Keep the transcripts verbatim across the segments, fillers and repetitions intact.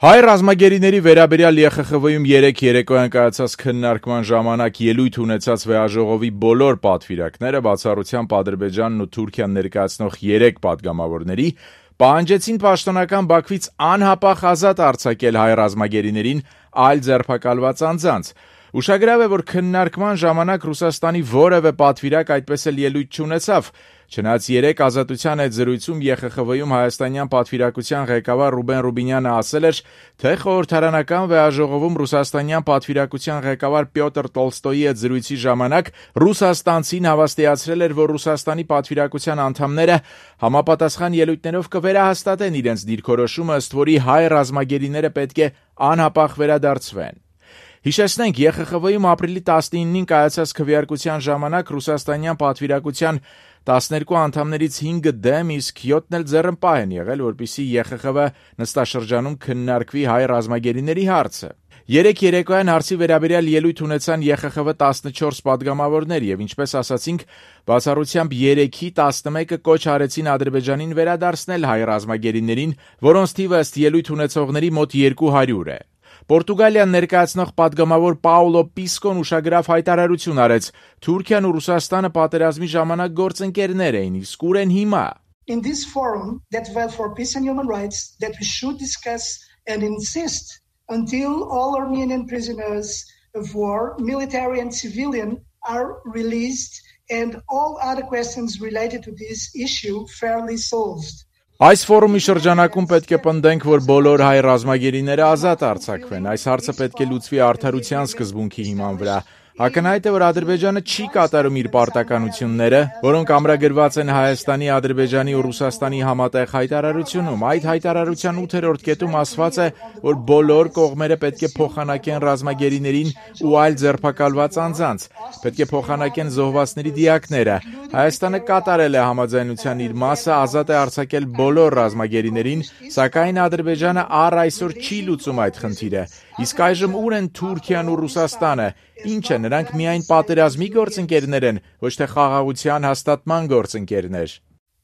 Հայ ռազմագերիների վերաբերյալ Ե Խ Խ V-ում երեկ երեկոյան կայացած քննարկման ժամանակ ելույթ ունեցած վեաժողովի բոլոր պատվիրակները, բացառությամբ Ադրբեջանն ու Թուրքիան ներկայացնող երեք պատգամավորների, պահանջեցին պաշտոնական Բաքվից անհապաղ ազատ արձակել հայ ռազմագերիներին այլ ձերբակալված անձանց։ Ուշագրավ է, որ քննարկման ժամանակ Ռուսաստանի որևէ պատվիրակ այդպես էլ ելույթ չունեցավ, չնայած երեկ Ազատության հետ զրույցում Ե Խ Խ V-ում հայաստանյան պատվիրակության ղեկավար Ռուբեն Ռուբինյանը ասել էր, թե խորհրդարանական վեաժողովում ռուսաստանյան պատվիրակության ղեկավար Պյոտր Տոլստոյի հետ զրույցի ժամանակ ռուսաստանցին հավաստիացրել էր, որ Ռուսաստանի պատվիրակության անդամները համապատասխան ելույթներով կվերահաստատեն իրենց դիրքորոշումը, ըստ որի հայ ռազմագերիները պետք է անհապաղ վերադարձվեն։ Հիշեցնենք, Ե Խ Խ V-ում ապրիլի տասնինին կայացած քվեարկության ժամանակ ռուսաստանյան պատվիրակության տասներկու անդամներից հինգը դեմ, իսկ յոթն էլ ձեռնպահ են եղել, որպեսզի Ե Խ Խ V նստաշրջանում քննարկվի հայ ռազմագերիների հարցը։ Երեկ երեկոյան հարցի վերաբերյալ ելույթ ունեցան Ե Խ Խ V տասնչորս պատգամավորներ եւ ինչպես ասացինք, բացառությամբ երեքի տասնմեկը կոչ արեցին Ադրբեջանին վերադարձնել հայ ռազմագերիներին, որոնց թիվը ըստ ելույթ ունեցողների մոտ երկու հարյուր է։ Պորտուգալիան ներկայացնող պատգամավոր Պաուլո Պիսկոն ուշագրավ հայտարարություն արեց. Թուրքիան ու Ռուսաստանը պատերազմի ժամանակ գործընկերներ էին, իսկ ուր են հիմա։ In this forum that vowed for peace and human rights that we should discuss and insist until all Armenian prisoners of war, military and civilian, are released and all other questions related to this issue fairly solved. Այս ֆորումի շրջանակում պետք է պնդենք, որ բոլոր հայ ռազմագերիները ազատ արձակվեն։ Այս հարցը պետք է լուծվի արդարության սկզբունքի հիման վրա։ Ակնհայտ է, որ Ադրբեջանը չի կատարում իր պարտականությունները, որոնք ամրագրված են Հայաստանի, Ադրբեջանի ու Ռուսաստանի համատեղ հայտարարությունում։ Այդ հայտարարության ութերորդ կետում ասված է, որ բոլոր կողմերը պետք է փոխանակեն ռազմագերիներին ու այլ ձերբակալված անձանց, պետք է փոխանակեն զոհվածների դիակները։ Հայաստանը կատարել է համաձայնության իր մասը, ազատ է արձակել բոլոր ռազմագերիներին, սակայն Ադրբեջանը առ այսօր չի լուծում այդ խնդիրը։ Իսկ այժմ ուր են Թուրքիան ու Ռուսաստանը։ Ինչ է, նրանք միայն պատերազմի գործընկերներ են, ոչ թե խաղաղության հաստատման գործընկերներ։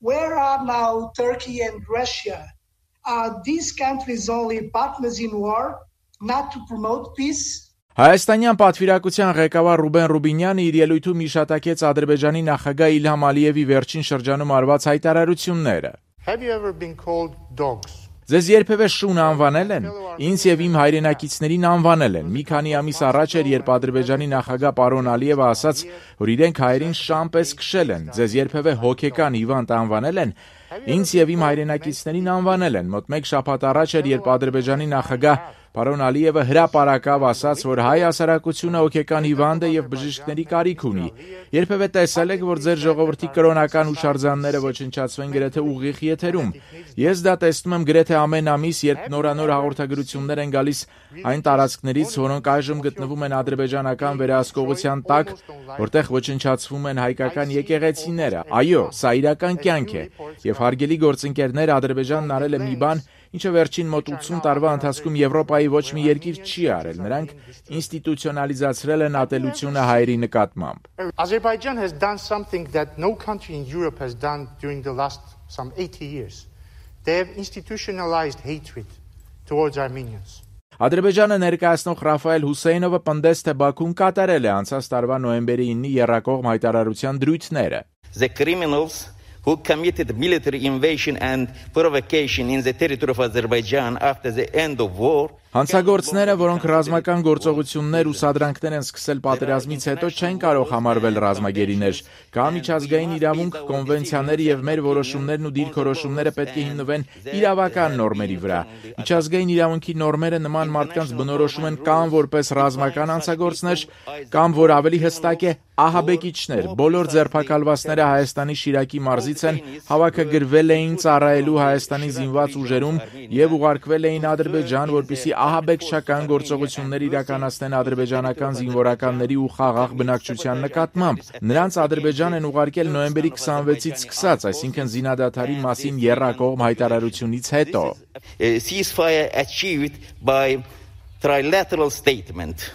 Where are now Turkey and Russia? Are these countries only partners in war, not to promote peace? Հայաստանյան պատվիրակության ղեկավար Ռուբեն Ռուբինյանը իր ելույթում հիշատակեց Ադրբեջանի նախագահ Իլհամ Ալիևի վերջին շրջանում արված հայտարարությունները։ Have you ever been called dogs? Ձեզ երբևէ շուն անվանել են։ Ինձ եւ իմ հայրենակիցներին անվանել են։ Մի քանի ամիս առաջ էր, երբ Ադրբեջանի նախագահ պարոն Ալիևը ասաց, որ իրենք հայերին շան պես քշել են։ Ձեզ երբևէ հոգեկան հիվանդ անվանել են։ Ինձ եւ իմ հայրենակիցներին անվանել են։ Մոտ մեկ շաբաթ առաջ էր, երբ Ադրբեջանի նախագահ պարոն Ալիևը հրապարակավ ասաց, որ հայ հասարակությունը հոգեկան հիվանդ է եւ բժիշկների կարիք ունի։ Երբևէ տեսել եք, որ ձեր ժողովրդի կրոնական հուշարձանները ոչնչացվեն գրեթե ուղիղ եթերում։ Ես դա տեսնում եմ գրեթե ամեն ամիս, երբ նորանոր հաղորդագրություններ են գալիս այն տարածքներից, որոնք այժմ գտնվում են ադրբեջանական վերահսկողության տակ, որտեղ ոչնչացվում են հայկական եկեղեցիները։ Այո, սա իրական կյանք է։ Եվ հարգելի գործընկերներ, Ադրբեջանն արել է մի բան, ինչը վերջին մոտ ութսուն տարվա ընթացքում Եվրոպայի ոչ մի երկիր չի արել։ Նրանք ինստիտուցիոնալիզացրել են ատելությունը հայերի նկատմամբ։ Azerbaijan has done something that no country in Europe has done during the last some eighty years. They have institutionalized hatred towards Armenians. Ադրբեջանը ներկայացնող Ռաֆայել Հուսեյնովը պնդեց, թե Բաքուն կատարել է անցած տարվա նոյեմբերի իննի եռակողմ հայտարարության դրույթները։ The criminals who committed military invasion and provocation in the territory of Azerbaijan after the end of war. Հանցագործները, որոնք ռազմական գործողություններ ու սադրանքներ են սկսել պատերազմից հետո, չեն կարող համարվել ռազմագերիներ։ Կա միջազգային իրավունք, կոնվենցիաներ եւ մեր որոշումներն ու դիրքորոշումները պետք է հիմնվեն իրավական նորմերի վրա։ Միջազգային իրավունքի նորմերը նման մարդկանց բնորոշում են կամ որպես ռազմական հանցագործներ, կամ որ ավելի հստակ է, ահաբեկիչներ։ Բոլոր ձերբակալվածները Հայաստանի Շիրակի մարզից են, հավաքագրվել էին ծառայելու Հայաստանի զինված ուժերում եւ ուղարկվել էին Ադրբեջան, որպեսզի ահաբեկչական գործողություններ իրականացնեն ադրբեջանական զինվորականների ու խաղաղ բնակչության նկատմամբ։ Նրանց Ադրբեջան են ուղարկել նոյեմբերի քսանվեցից սկսած, այսինքն զինադադարի մասին եռակողմ հայտարարությունից հետո։ Ceasefire achieved by trilateral statement.